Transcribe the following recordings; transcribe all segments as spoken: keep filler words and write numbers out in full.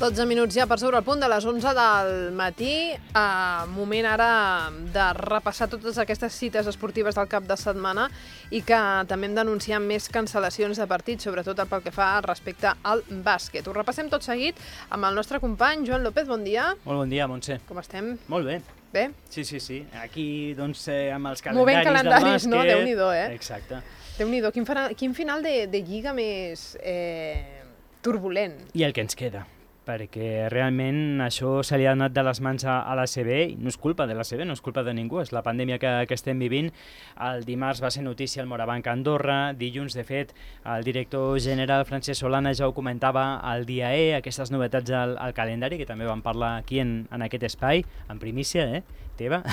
dotze minuts ja per sobre el punt de les onze del matí. Uh, moment ara de repassar totes aquestes cites esportives del cap de setmana i que també hem d'anunciar més cancel·lacions de partits, sobretot pel que fa respecte al bàsquet. Ho repassem tot seguit amb el nostre company Joan López. Bon dia. Molt bon dia, Montse. Com estem? Molt bé. Bé? Sí, sí, sí. Aquí, doncs, eh, amb els calendaris, Movent calendaris, del bàsquet... no? Déu-n'hi-do, eh? Exacte. Déu-n'hi-do. Quin, quin final de, de lliga més eh, turbulent. I el que ens queda, perquè realment això se li ha anat de les mans a, a l'A C B, i no és culpa de l'A C B, no és culpa de ningú, és la pandèmia que, que estem vivint. El dimarts va ser notícia el Morabanc Andorra, dilluns, de fet, el director general Francesc Solana ja ho comentava al dia E, aquestes novetats al, al calendari, que també vam parlar aquí en, en aquest espai, en primícia, eh? teva.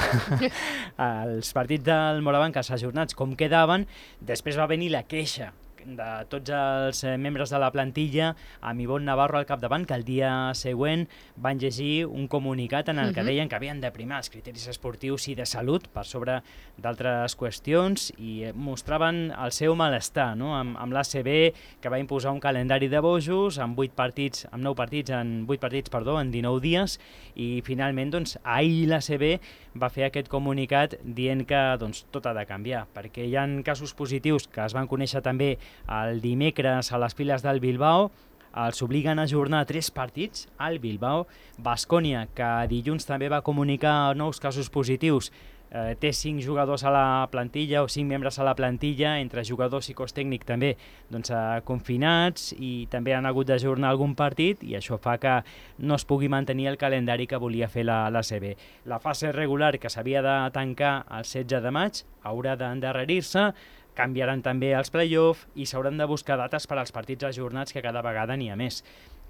Els partits del Morabanc, els ajornats, com quedaven, després va venir la queixa de tots els membres de la plantilla, amb Ivonne Navarro al capdavant, que el dia següent van llegir un comunicat en el que deien que havien de primar els criteris esportius i de salut per sobre d'altres qüestions i mostraven el seu malestar, no? amb, amb l'A C B, que va imposar un calendari de bojos amb vuit partits, amb nou partits en vuit partits, perdó, en dinou dies, i finalment doncs ahir l'A C B va fer aquest comunicat dient que doncs tot ha de canviar, perquè hi ha casos positius que es van conèixer també el dimecres a les files del Bilbao. Els obliguen a ajornar tres partits al Bilbao. Baskonia, que dilluns també va comunicar nous casos positius, eh, té cinc jugadors a la plantilla o cinc membres a la plantilla, entre jugadors i cos tècnic també doncs, eh, confinats, i també han hagut d'ajornar algun partit, i això fa que no es pugui mantenir el calendari que volia fer la, l'A C B. La fase regular, que s'havia de tancar el setze de maig, haurà d'endarrerir-se. Canviaran també els play-off i s'hauran de buscar dates per als partits ajornats, que cada vegada n'hi ha més.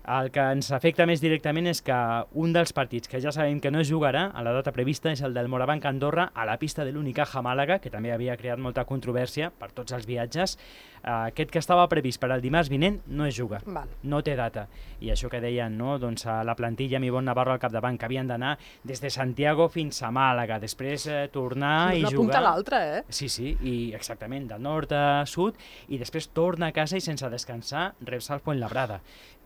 El que ens afecta més directament és que un dels partits que ja sabem que no es jugarà a la data prevista és el del Morabanc Andorra a la pista de l'Unicaja Màlaga, que també havia creat molta controvèrsia per tots els viatges. Aquest que estava previst per al dimarts vinent no es juga, Val. no té data. I això que deien, no? doncs, a la plantilla amb Ivonne Navarro al capdavant, que havien d'anar des de Santiago fins a Màlaga, després eh, tornar sí, i jugar... Una punta a l'altra, eh? Sí, sí, i exactament, del nord a sud, i després torna a casa i sense descansar reps al Fuenlabrada,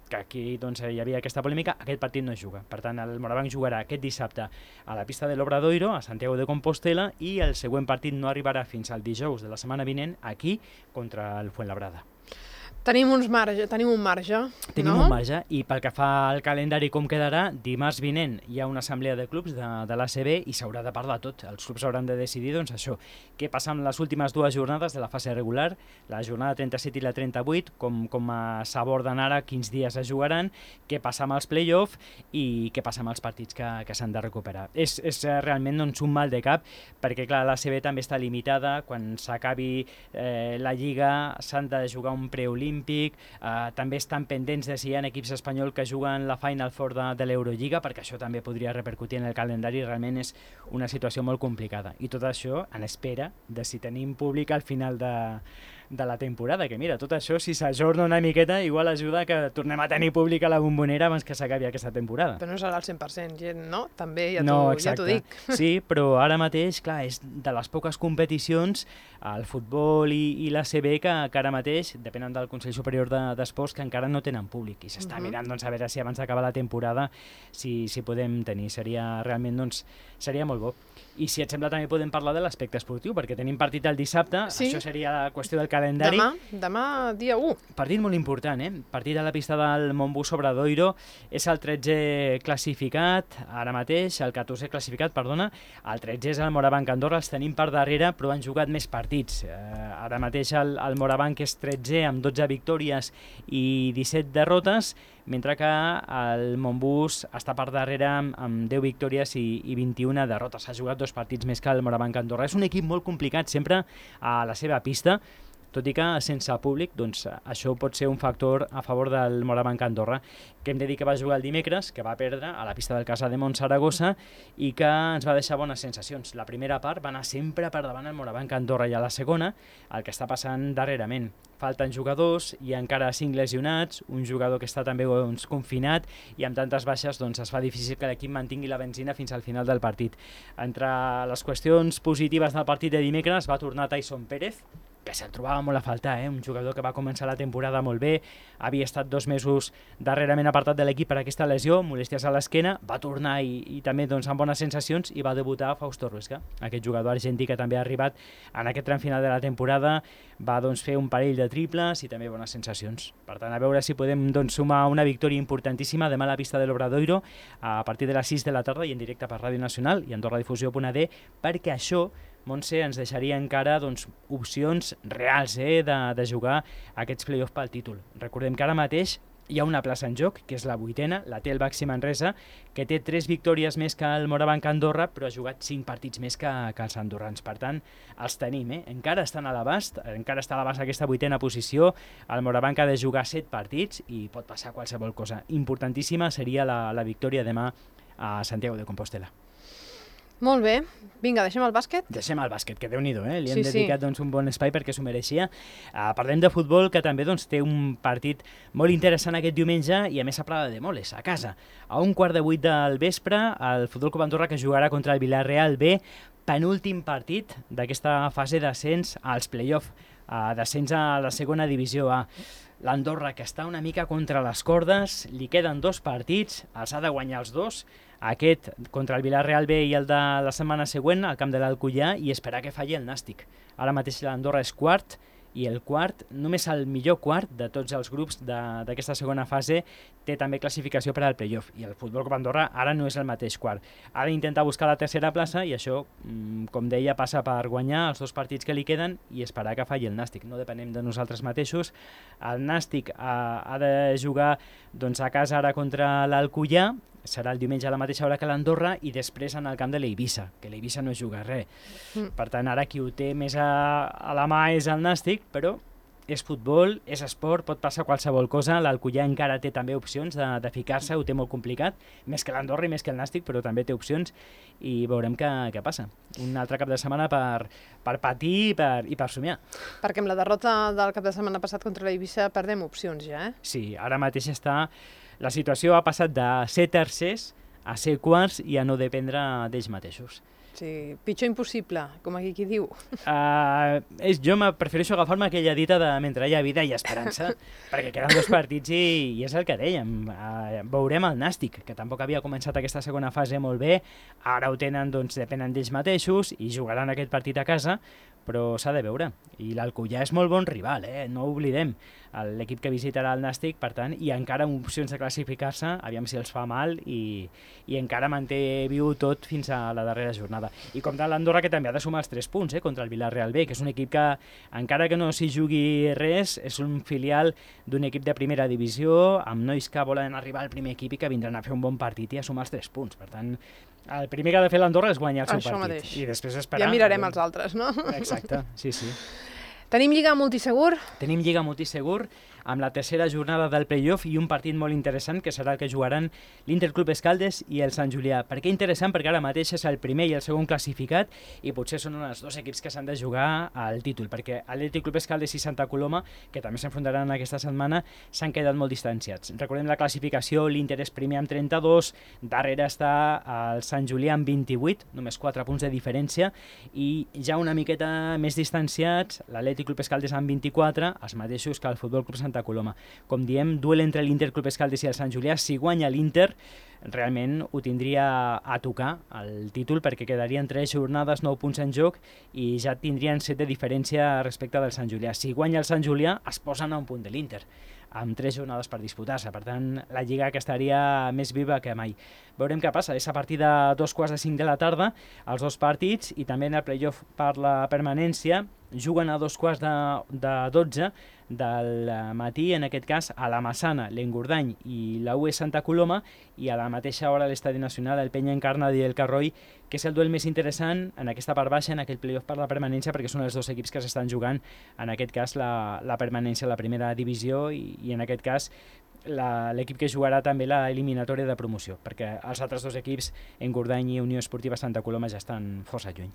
que aquí doncs, hi havia aquesta polèmica. Aquest partit no es juga. Per tant, el Morabanc jugarà aquest dissabte a la pista de l'Obradoiro, a Santiago de Compostela, i el següent partit no arribarà fins al dijous de la setmana vinent aquí contra el Fuenlabrada. Tenim, uns marge, tenim un marge, Tenim no? un marge, i pel que fa al calendari com quedarà, dimarts vinent hi ha una assemblea de clubs de, de l'A C B i s'haurà de parlar tot. Els clubs hauran de decidir doncs, això, què passa amb les últimes dues jornades de la fase regular, la jornada trenta-set i la trenta-vuit, com, com s'aborden ara, quins dies es jugaran, què passa amb els play-off i què passa amb els partits que, que s'han de recuperar. És, és realment doncs, un mal de cap, perquè clar, l'A C B també està limitada. Quan s'acabi eh, la Lliga s'han de jugar un preolímpic. Uh, també estan pendents de si hi ha equips espanyols que juguen la Final Four de, de l'Eurolliga, perquè això també podria repercutir en el calendari. Realment és una situació molt complicada, i tot això en espera de si tenim públic al final de, de la temporada, que mira, tot això si s'ajorna una miqueta igual ajuda que tornem a tenir públic a la Bombonera abans que s'acabi aquesta temporada. Però no serà al cent per cent, gent, no? També ja t'ho No, ja t'ho dic. Sí, però ara mateix, clar, és de les poques competicions, el futbol i, i la C B, que, que ara mateix depenen del Consell Superior d'Esports, de, que encara no tenen públic, i s'està uh -huh. mirant doncs, a veure si abans d'acabar la temporada si, si podem tenir. Seria realment, doncs, seria molt bo. I si et sembla també podem parlar de l'aspecte esportiu, perquè tenim partit el dissabte, sí. Això seria la qüestió del calendari. Demà, demà dia u. Partit molt important, eh? Partit a la pista del Montbus Obradoiro. És el tretzè classificat, ara mateix, el catorzè classificat, perdona. El tretzè és el Morabanc Andorra, els tenim per darrere, però han jugat més partits. Eh, ara mateix el, el Morabanc és tretzè amb dotze victòries i disset derrotes, mentre que el Montbus està per darrere amb, amb deu victòries i, i vint-i-una derrotes. Ha jugat dos partits més que el Morabanc Andorra. És un equip molt complicat sempre a la seva pista, tot i que sense públic, doncs, això pot ser un factor a favor del Morabanc Andorra, que hem de dir que va jugar el dimecres, que va perdre a la pista del Casademont Saragossa i que ens va deixar bones sensacions. La primera part va anar sempre per davant el Morabanc Andorra, i a la segona, el que està passant darrerament. Falten jugadors, hi ha encara cinc lesionats, un jugador que està també doncs, confinat, i amb tantes baixes doncs, es fa difícil que l'equip mantingui la benzina fins al final del partit. Entre les qüestions positives del partit de dimecres va tornar Tyson Pérez, que se'l trobava molt a faltar, eh? Un jugador que va començar la temporada molt bé, havia estat dos mesos darrerament apartat de l'equip per aquesta lesió, molèsties a l'esquena, va tornar i, i també doncs, amb bones sensacions i va debutar Fausto Ruesca, aquest jugador argentí que també ha arribat en aquest tram final de la temporada, va doncs, fer un parell de triples i també bones sensacions. Per tant, a veure si podem doncs, sumar una victòria importantíssima demà a la pista de l'Obradoiro a partir de les sis de la tarda i en directe per Ràdio Nacional i AndorraDifusió punt a d, perquè això, Montse, ens deixaria encara doncs, opcions reals eh, de, de jugar aquests play-offs pel títol. Recordem que ara mateix hi ha una plaça en joc, que és la vuitena, la té el Baxi Manresa, que té tres victòries més que el Morabanc Andorra, però ha jugat cinc partits més que, que els andorrans. Per tant, els tenim, eh? Encara estan a l'abast, encara està a l'abast aquesta vuitena posició, el Morabanc ha de jugar set partits i pot passar qualsevol cosa. Importantíssima seria la, la victòria demà a Santiago de Compostela. Molt bé. Vinga, deixem el bàsquet? Deixem el bàsquet, que Déu-n'hi-do, eh? Li hem sí, dedicat sí. doncs, un bon espai perquè s'ho mereixia. Uh, parlem de futbol, que també doncs, té un partit molt interessant aquest diumenge i a més a Prada de Moles, a casa. A un quart de vuit del vespre, el Futbol Club Andorra que jugarà contra el Villarreal B, penúltim partit d'aquesta fase d'ascens als play-off, uh, d'ascens a la segona divisió A. L'Andorra, que està una mica contra les cordes, li queden dos partits, els ha de guanyar els dos, aquest contra el Villarreal B i el de la setmana següent al camp de l'Alcoià i esperar que falli el Nàstic. Ara mateix l'Andorra és quart i el quart, només el millor quart de tots els grups d'aquesta segona fase té també classificació per al playoff i el Futbol Club Andorra ara no és el mateix quart. Ha d'intentar buscar la tercera plaça i això, com deia, passa per guanyar els dos partits que li queden i esperar que falli el Nàstic. No depenem de nosaltres mateixos. El Nàstic ha, ha de jugar doncs, a casa ara contra l'Alcoià, serà el diumenge a la mateixa hora que l'Andorra i després en el camp de l'Eivissa, que l'Eivissa no juga res. Mm. Per tant, ara qui ho té més a, a la mà és el Nàstic, però és futbol, és esport, pot passar qualsevol cosa. L'Alcoià encara té també opcions de, de ficar-se, ho té molt complicat, més que l'Andorra i més que el Nàstic, però també té opcions i veurem què, què passa. Un altre cap de setmana per, per patir i per, i per somiar. Perquè amb la derrota del cap de setmana passat contra l'Eivissa perdem opcions ja, eh? Sí, ara mateix està... La situació ha passat de ser tercers a ser quarts i a no dependre d'ells mateixos. Sí, pitjor impossible, com aquí qui diu. Uh, és, jo prefereixo agafar-me aquella dita de mentre hi ha vida i esperança, perquè queden dos partits i, i és el que dèiem. Uh, veurem el Nàstic, que tampoc havia començat aquesta segona fase molt bé, ara ho tenen, doncs depenen d'ells mateixos i jugaran aquest partit a casa, però s'ha de veure. I l'Alcoià és molt bon rival, eh? No ho oblidem. L'equip que visitarà el Nàstic, per tant, i encara amb opcions de classificar-se, aviam si els fa mal, i, i encara manté viu tot fins a la darrera jornada. I com tant l'Andorra, que també ha de sumar els tres punts eh, contra el Villarreal B, que és un equip que, encara que no s'hi jugui res, és un filial d'un equip de primera divisió, amb nois que volen arribar al primer equip i que vindran a fer un bon partit i a sumar els tres punts. Per tant, el primer que ha de fer l'Andorra és guanyar el seu Això partit. Mateix. I després esperar... Ja mirarem els altres, no? Exacte, sí, sí. Tenim Lliga Multisegur? Tenim Lliga Multisegur amb la tercera jornada del playoff i un partit molt interessant que serà el que jugaran l'Interclub Escaldes i el Sant Julià. Per què interessant? Perquè ara mateix és el primer i el segon classificat i potser són els dos equips que s'han de jugar al títol, perquè Atlètic Club Escaldes i Santa Coloma, que també s'enfrontaran aquesta setmana, s'han quedat molt distanciats. Recordem la classificació, l'Inter és primer amb trenta-dos, darrere està el Sant Julià amb vint-i-vuit, només quatre punts de diferència, i ja una miqueta més distanciats, l'Atlètic Club Escaldes amb vint-i-quatre, els mateixos que el Futbol Club Santa Coloma. Com diem, duel entre l'Inter Club Escaldes i el Sant Julià. Si guanya l'Inter, realment ho tindria a tocar el títol, perquè quedarien tres jornades, nou punts en joc i ja tindrien set de diferència respecte del Sant Julià. Si guanya el Sant Julià, es posen a un punt de l'Inter, amb tres jornades per disputar-se. Per tant, la Lliga que estaria més viva que mai. Veurem què passa. És a partir de dos quarts de cinc de la tarda, els dos partits, i també en el playoff per la permanència, juguen a dos quarts de, de dotze del matí, en aquest cas, a la Massana, l'Engordany i la U E Santa Coloma, i a la mateixa hora a l'Estadi Nacional, el Penya Encarna i el Carroi, que és el duel més interessant en aquesta part baixa, en aquest playoff per la permanència, perquè són els dos equips que s'estan jugant, en aquest cas, la, la permanència a la primera divisió, i, i en aquest cas, l'equip que jugarà també la eliminatòria de promoció, perquè els altres dos equips, Engordany i Unió Esportiva Santa Coloma, ja estan força lluny.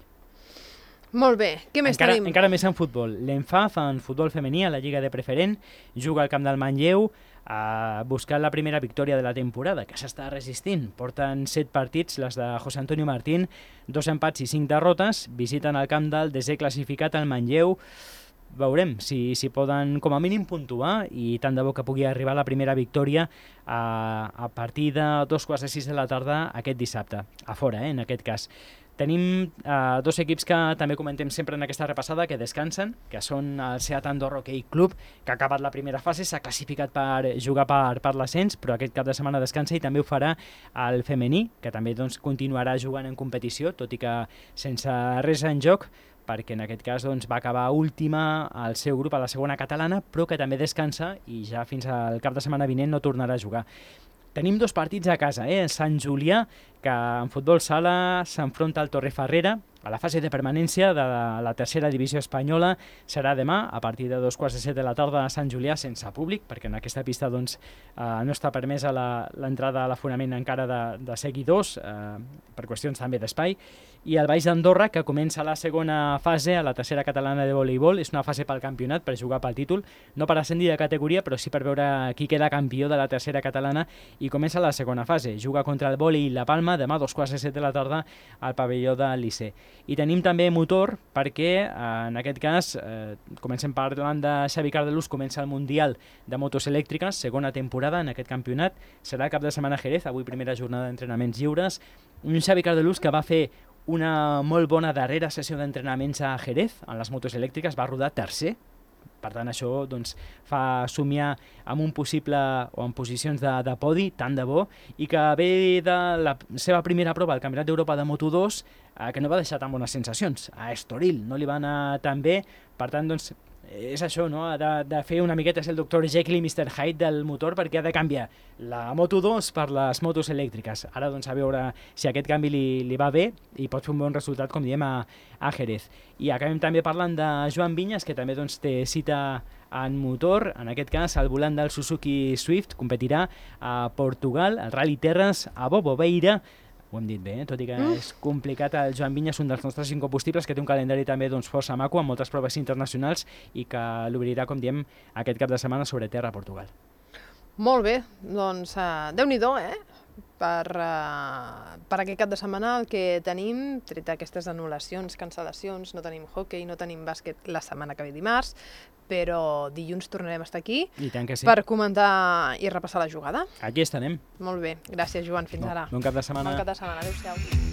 Molt bé, què més encara, tenim? Encara més en futbol. L'Enfaf, en futbol femení, a la Lliga de Preferent, juga al camp del Manlleu, a buscar la primera victòria de la temporada, que s'està resistint. Porten set partits, les de José Antonio Martín, dos empats i cinc derrotes, visiten el camp del desè classificat, el Manlleu. veurem si, si poden com a mínim puntuar i tant de bo que pugui arribar la primera victòria a, a partir de dos quarts de sis de la tarda aquest dissabte, a fora, eh, en aquest cas. Tenim eh, dos equips que també comentem sempre en aquesta repassada que descansen, que són el Seat Andorra Hockey Club, que ha acabat la primera fase, s'ha classificat per jugar per, per l'ascens, però aquest cap de setmana descansa i també ho farà el femení, que també doncs, continuarà jugant en competició, tot i que sense res en joc, perquè en aquest cas doncs, va acabar última al seu grup a la segona catalana, però que també descansa i ja fins al cap de setmana vinent no tornarà a jugar. Tenim dos partits a casa, eh? Sant Julià, que en futbol sala s'enfronta al Torrefarrera, a la fase de permanència de la, la tercera divisió espanyola. Serà demà, a partir de dos quarts de set de la tarda a Sant Julià, sense públic, perquè en aquesta pista doncs, eh, no està permesa l'entrada a l'aforament encara de, de seguidors, eh, per qüestions també d'espai. I el Baix d'Andorra, que comença la segona fase a la tercera catalana de voleibol, és una fase pel campionat, per jugar pel títol, no per ascendir de categoria, però sí per veure qui queda campió de la tercera catalana, i comença la segona fase. Juga contra el Voli i la Palma, demà a dos quarts de set de la tarda al pavelló del Liceu. I tenim també motor perquè, eh, en aquest cas, eh, comencem parlant de Xavi Cardelús, comença el Mundial de Motos Elèctriques, segona temporada en aquest campionat, serà cap de setmana a Jerez, avui primera jornada d'entrenaments lliures. Un Xavi Cardelús que va fer una molt bona darrera sessió d'entrenaments a Jerez, en les motos elèctriques, va rodar tercer. Per tant, això doncs, fa somiar amb un possible o en posicions de, de podi, tant de bo, i que ve de la seva primera prova al Campionat d'Europa de Moto dos, eh, que no va deixar tan bones sensacions. A Estoril no li va anar tan bé, per tant, doncs, és això, no? de, de fer una miqueta, és el doctor Jekyll i mister Hyde del motor, perquè ha de canviar la Moto dos per les motos elèctriques. Ara doncs a veure si aquest canvi li, li va bé i pot fer un bon resultat, com diem, a, a Jerez. I acabem també parlant de Joan Vinyes, que també doncs, té cita en motor, en aquest cas al volant del Suzuki Swift, competirà a Portugal, al Rally Terres, a Bobobeira. Ho hem dit bé, eh? Tot i que mm. és complicat, el Joan Vinyes, un dels nostres incombustibles, que té un calendari també doncs, força maco, amb moltes proves internacionals i que l'obrirà, com diem, aquest cap de setmana sobre terra a Portugal. Molt bé, doncs uh, Déu-n'hi-do, eh? Per, uh, per aquest cap de setmana el que tenim, tret aquestes anul·lacions, cancel·lacions, no tenim hockey, no tenim bàsquet la setmana que ve dimarts, però dilluns tornarem a estar aquí I tant que sí. per comentar i repassar la jugada. Aquí estarem. Molt bé, gràcies Joan, fins bon, ara. Bon cap de setmana. Bon cap de setmana, adéu-siau.